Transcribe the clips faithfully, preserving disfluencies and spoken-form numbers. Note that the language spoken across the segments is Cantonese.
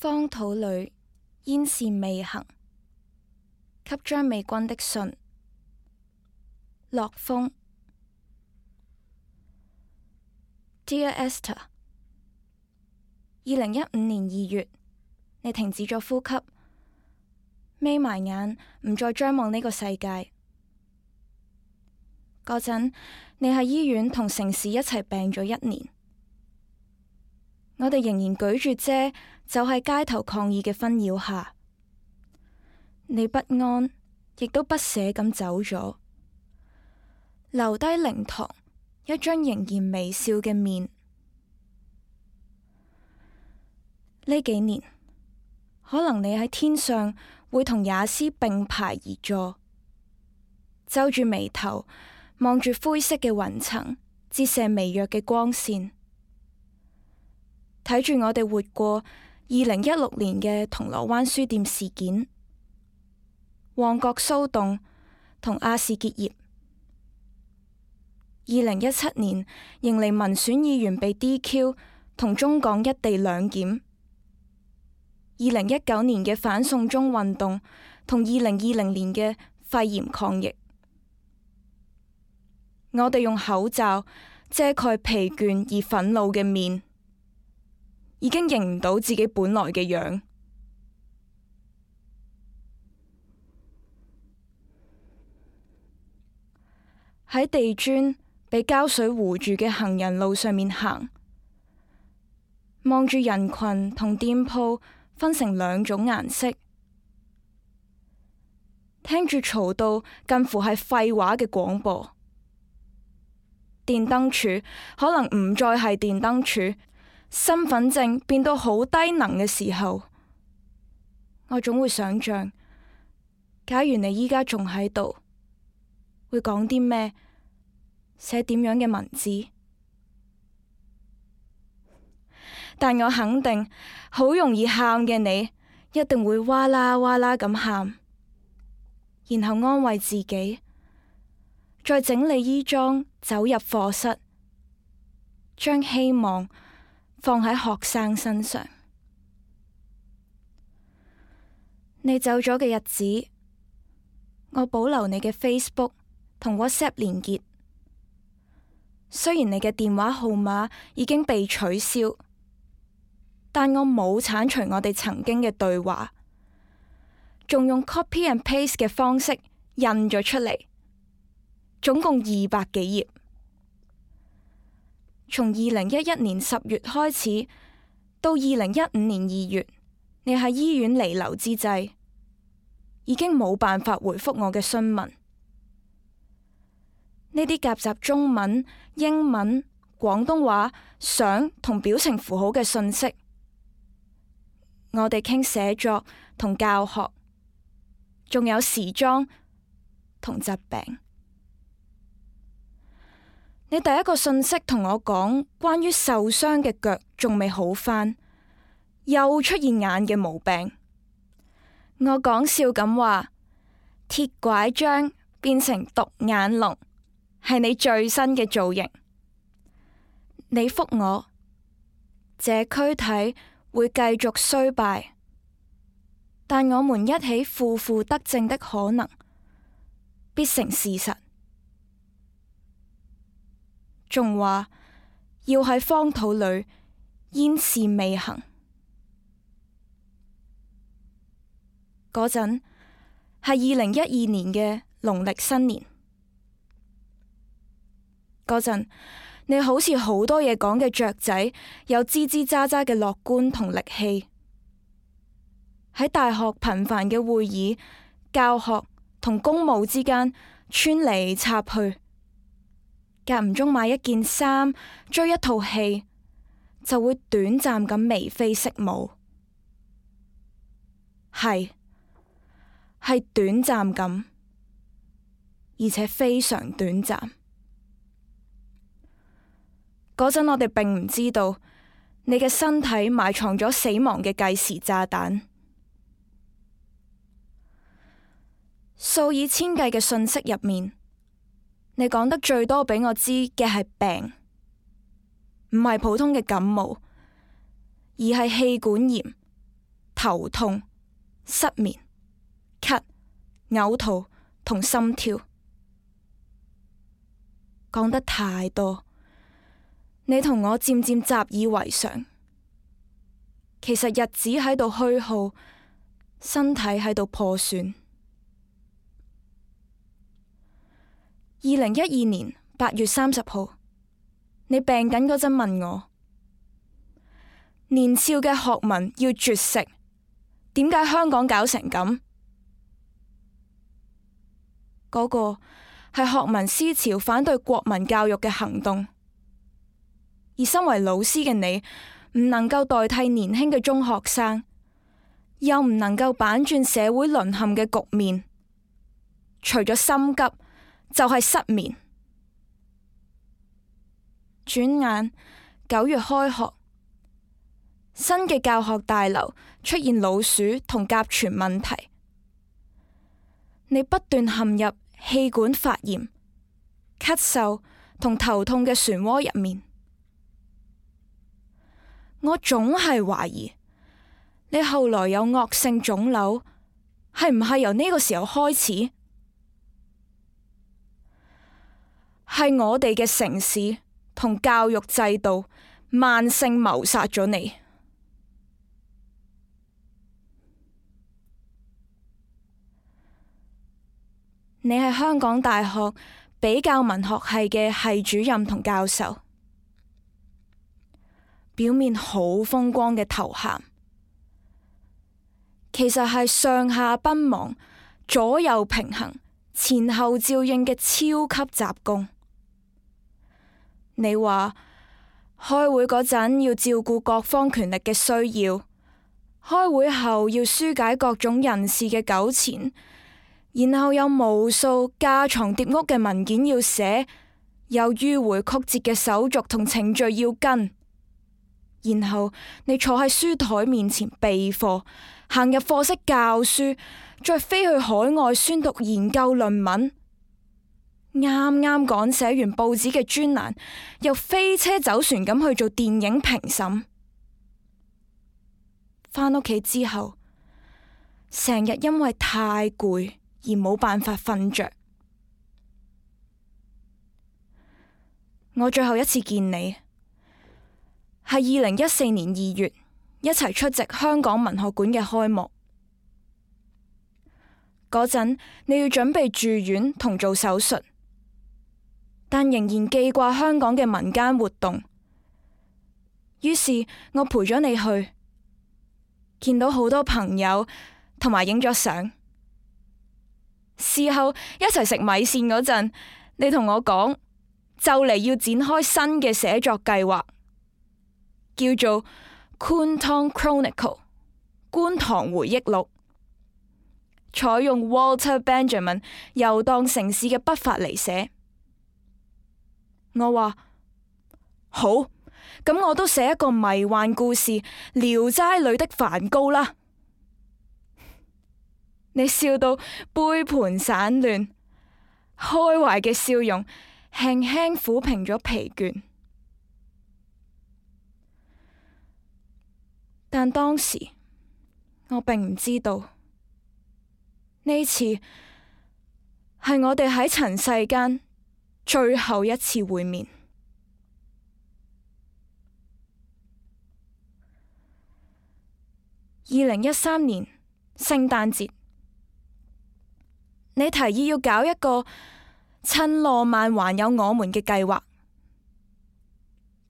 荒土裏煙線未行，給張美君的信。落風。 Dear Esther， 二零一五年二月，你停止咗呼吸，眯埋眼，唔再張望呢個世界。嗰陣，你喺醫院同城市一齊病咗一年。我哋仍然舉住遮，走喺街頭抗議嘅紛擾下，你不安，亦都不捨咁走咗，留低靈堂一張仍然微笑嘅面。呢幾年，可能你喺天上會同也斯並排而坐，皺住眉頭，望住灰色嘅雲層，折射微弱嘅光線，睇住我哋活過二零一六年嘅銅鑼灣書店事件、旺角騷動同亞視結業，二零一七年迎嚟民選議員被 D Q 同中港一地兩檢，二零一九年嘅反送中運動同二零二零年嘅肺炎抗疫，我哋用口罩遮蓋疲倦而憤怒嘅面，已經認唔到自己本來嘅樣。喺地磚被膠水糊住嘅行人路上面行，望住人群同店鋪分成兩種顏色，聽住嘈到近乎係廢話嘅廣播。電燈柱可能唔再係電燈柱，身份證變到好低能嘅時候，我總會想象，假如你依家仲喺度，會講啲咩，寫點樣嘅文字。但我肯定，好容易喊嘅你，一定會哇啦哇啦咁喊，然後安慰自己，再整理衣裝走入課室，將希望放喺學生身上。你走咗嘅日子，我保留你嘅 Facebook 同 WhatsApp 連結，雖然你嘅電話號碼已經被取消，但我冇鏟除我哋曾經嘅對話，仲用 copy and paste 嘅方式印咗出嚟，總共二百幾頁。從二零一一年十月開始，到二零一五年二月，你喺醫院彌留之際，已經冇辦法回覆我嘅詢問。呢啲夾雜中文、英文、廣東話、相同表情符號嘅信息，我哋傾寫作同教學，仲有時裝同疾病。你第一個信息同我講關於受傷嘅腳仲未好返，又出現眼嘅毛病。我講笑咁話，鐵拐杖變成獨眼龍，係你最新嘅造型。你覆我，這軀體會繼續衰敗，但我們一起負負得正的可能必成事實。仲話要喺荒土裏煙事未行。嗰陣係二零一二年嘅農曆新年。嗰陣你好似好多嘢講嘅雀仔，有吱吱喳喳嘅樂觀同力氣，喺大學頻繁嘅會議、教學同公務之間穿嚟插去，間唔中買一件衫，追一套戲，就會短暫咁眉飛色舞。係，係短暫咁，而且非常短暫。嗰陣我哋並唔知道，你嘅身體埋藏咗死亡嘅計時炸彈。數以千計嘅信息入面，你講得最多俾我知嘅係病，唔係普通嘅感冒，而係氣管炎，頭痛、失眠、咳、嘔吐同心跳。講得太多，你同我漸漸習以為常。其實日子喺度虛耗，身體喺度破損。二零一二年八月三十號，你病緊嗰陣問我，年少嘅學民要絕食，點解香港搞成咁？嗰個係學民思潮反對國民教育嘅行動，而身為老師嘅你，唔能夠代替年輕嘅中學生，又唔能夠板轉社會淪陷嘅局面。除咗心急，就係失眠。轉眼九月開學，新嘅教學大樓出現老鼠同甲醛問題，你不斷陷入氣管發炎、咳嗽同頭痛嘅漩渦入面。我總係懷疑你後來有惡性腫瘤，係唔係由呢個時候開始？係我哋嘅城市同教育制度慢性謀殺咗你。你係香港大學比較文學系嘅系主任同教授，表面好風光嘅頭銜，其實係上下奔忙、左右平衡、前後照應嘅超級雜工。你話開會嗰陣要照顧各方權力嘅需要，開會後要紓解各種人事嘅糾纏，然後有無數架床疊屋嘅文件要寫，有迂迴曲折嘅手續同程序要跟，然後你坐喺書台面前備課，行入課室教書，再飛去海外宣讀研究論文。啱啱趕寫完報紙嘅專欄，又飛車走船咁去做電影評審。返屋企之後，成日因為太攰而冇辦法瞓着。我最後一次見你係二零一四年二月，一齊出席香港文學館嘅開幕。嗰陣你要準備住院同做手術，但仍然記掛香港嘅民間活動，於是我陪咗你去，見到好多朋友同埋影咗相。事後一齊食米線嗰陣，你同我講就嚟要展開新嘅寫作計劃，叫做 Kwun Tong Chronicle 觀塘回憶錄，採用 Walter Benjamin 遊蕩城市嘅筆法嚟寫。我話好，咁我都寫一個迷幻故事《聊齋裏的梵高》啦。你笑到杯盤散亂，開懷嘅笑容輕輕撫平咗疲倦。但當時我並唔知道，呢次係我哋喺塵世間最後一次會面。二零一三年聖誕節，你提議要搞一個趁浪漫還有我們嘅計劃，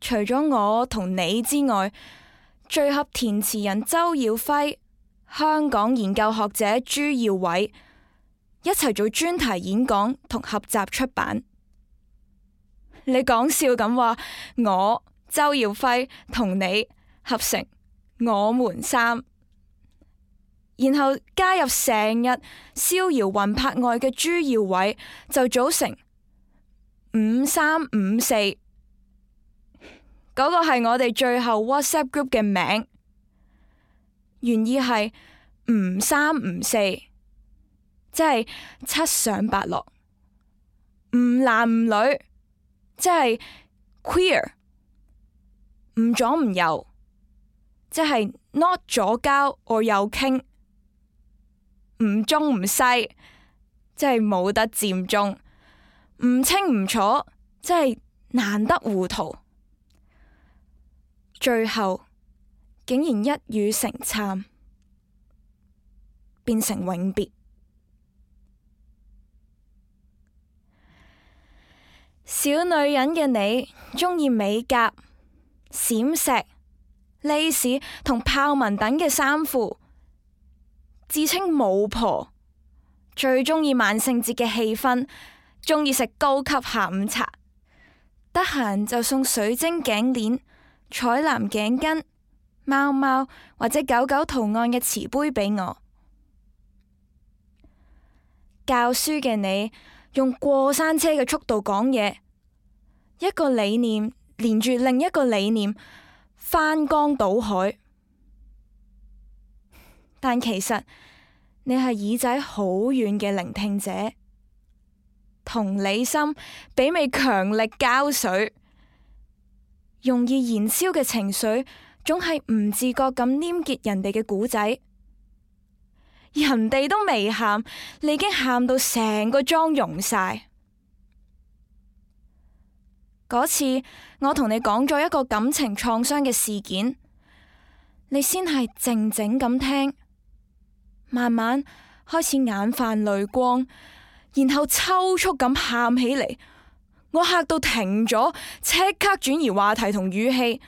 除咗我同你之外，聚合填詞人周耀輝、香港研究學者朱耀偉一齊做專題演講同合集出版。你講笑咁話，我周耀輝同你合成我們三，然後加入成日逍遙魂魄外嘅朱耀偉，就組成五三五四。嗰個係我哋最後 WhatsApp group 嘅名，原意係唔三唔四，即係七上八落；唔男唔女，即係 queer；唔左唔右，即係 not 左膠我右傾，唔中唔西，即係冇得佔中，唔清唔楚，即係難得糊塗，最後竟然一語成讖，變成永別。小女人嘅你，鍾意美甲、閃石、蕾絲同豹紋等嘅衫褲，自稱巫婆，最鍾意萬聖節嘅氣氛，鍾意食高級下午茶，得閒就送水晶頸鏈、彩藍頸巾、貓貓或者狗狗圖案嘅瓷杯俾我。教書嘅你，用過山車嘅速度講嘢，一個理念連住另一個理念，翻江倒海。但其實你係耳仔好遠嘅聆聽者，同理心媲美強力膠水，容易燃燒嘅情緒總係唔自覺咁黏結人哋嘅故仔。人哋都未喊，你已經喊到成個妝溶晒。嗰次我同你講咗一個感情創傷嘅事件，你先係靜靜咁聽，慢慢開始眼泛淚光，然後抽搐咁喊起嚟。我嚇到停咗，即刻轉移話題同語氣，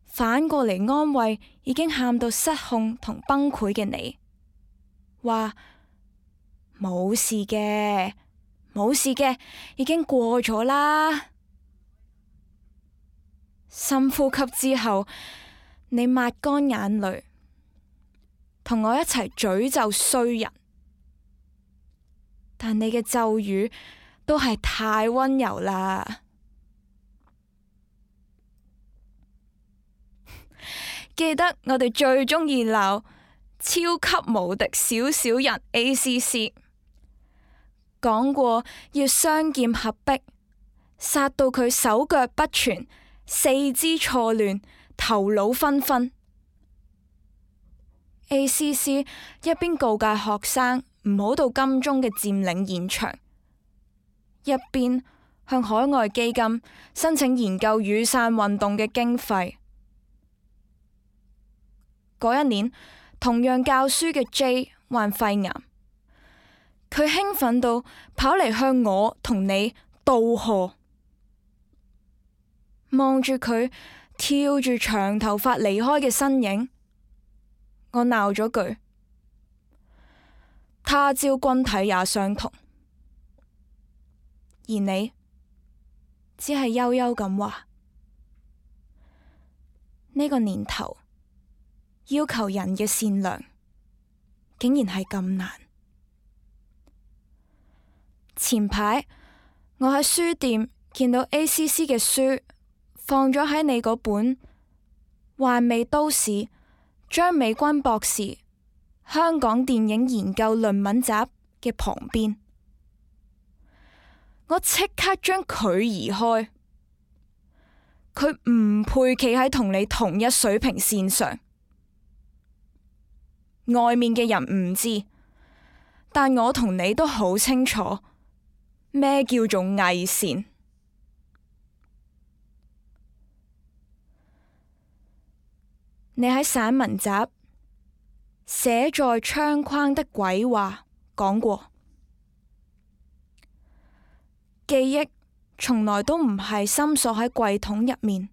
反過嚟安慰已經喊到失控同崩潰嘅你，話冇事嘅，冇事嘅，已經過咗啦。深呼吸之後，你抹乾眼淚，同我一齊詛咒衰人。但你嘅咒語都係太溫柔啦。記得我哋最鍾意鬧超級無敵小小人 A C C， 講過要雙劍合璧，殺到佢手腳不全，四肢錯亂，頭腦紛紛。A C C 一邊告誡學生唔好到金鐘嘅佔領現場，一邊向海外基金申請研究雨傘運動嘅經費。嗰一年，同樣教書嘅 J 患肺癌，佢興奮到跑嚟向我同你道賀。望住佢跳住長頭髮離開嘅身影，我鬧咗句：他朝君體也相同。而你只係悠悠咁話：呢個年頭要求人嘅善良，竟然係咁難。前排我喺書店見到 A C C 嘅書放咗喺你嗰本《幻味都市》張美君博士香港電影研究論文集嘅旁邊，我即刻將佢移開。佢唔配企喺同你同一水平線上。外面嘅人唔知，但我同你都好清楚咩叫做偽善。你喺散文集寫在窗框的鬼話講過，記憶從來都唔係深鎖喺櫃桶入面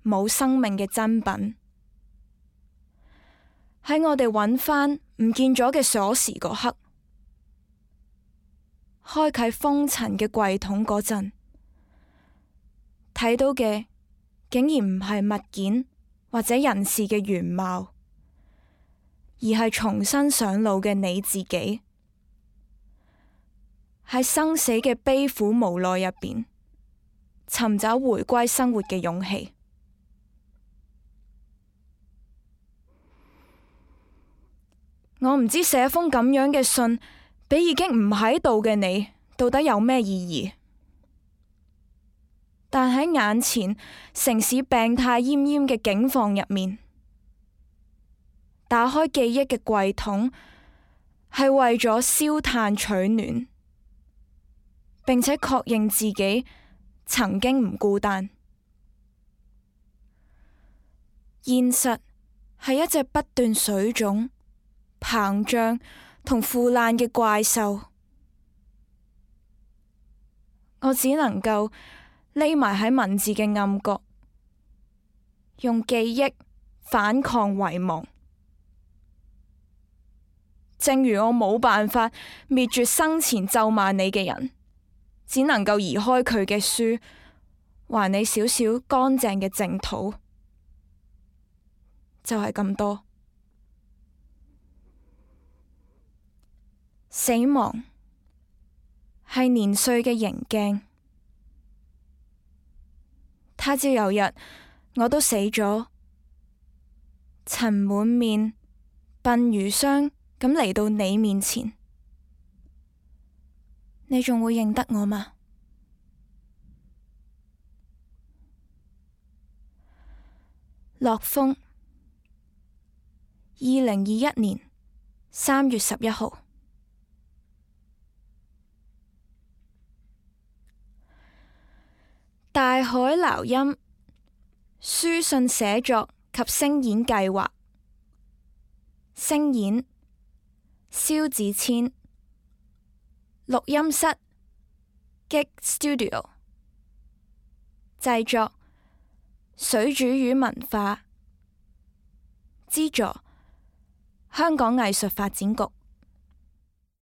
冇生命嘅珍品。喺我哋揾返唔見咗嘅鎖匙嗰刻，開啟封塵嘅櫃桶嗰陣，睇到嘅竟然唔係物件或者人事嘅原貌，而係重新上路嘅你自己，喺生死嘅悲苦無奈入邊，尋找回歸生活嘅勇氣。我唔知寫封咁樣嘅信俾已經唔喺度嘅你到底有咩意義，但喺眼前城市病態奄奄嘅境況入面，打開記憶嘅櫃桶，係為咗燒炭取暖，並且確認自己曾經唔孤單。現實係一隻不斷水腫、膨脹同腐爛嘅怪獸，我只能夠匿埋喺文字嘅暗角，用記憶反抗遺忘。正如我冇辦法滅絕生前咒罵你嘅人，只能夠移開佢嘅書，還你少少乾淨嘅淨土。就係咁多。死亡係年歲嘅棱鏡，他朝有日我都死咗，塵滿面、鬢如霜咁嚟到你面前，你仲會認得我嗎？樂風，二零二一年三月十一號。大海撈音，書信寫作及聲演計劃，聲演蕭子千，錄音室 Gig Studio， 製作水煮魚文化，資助香港藝術發展局。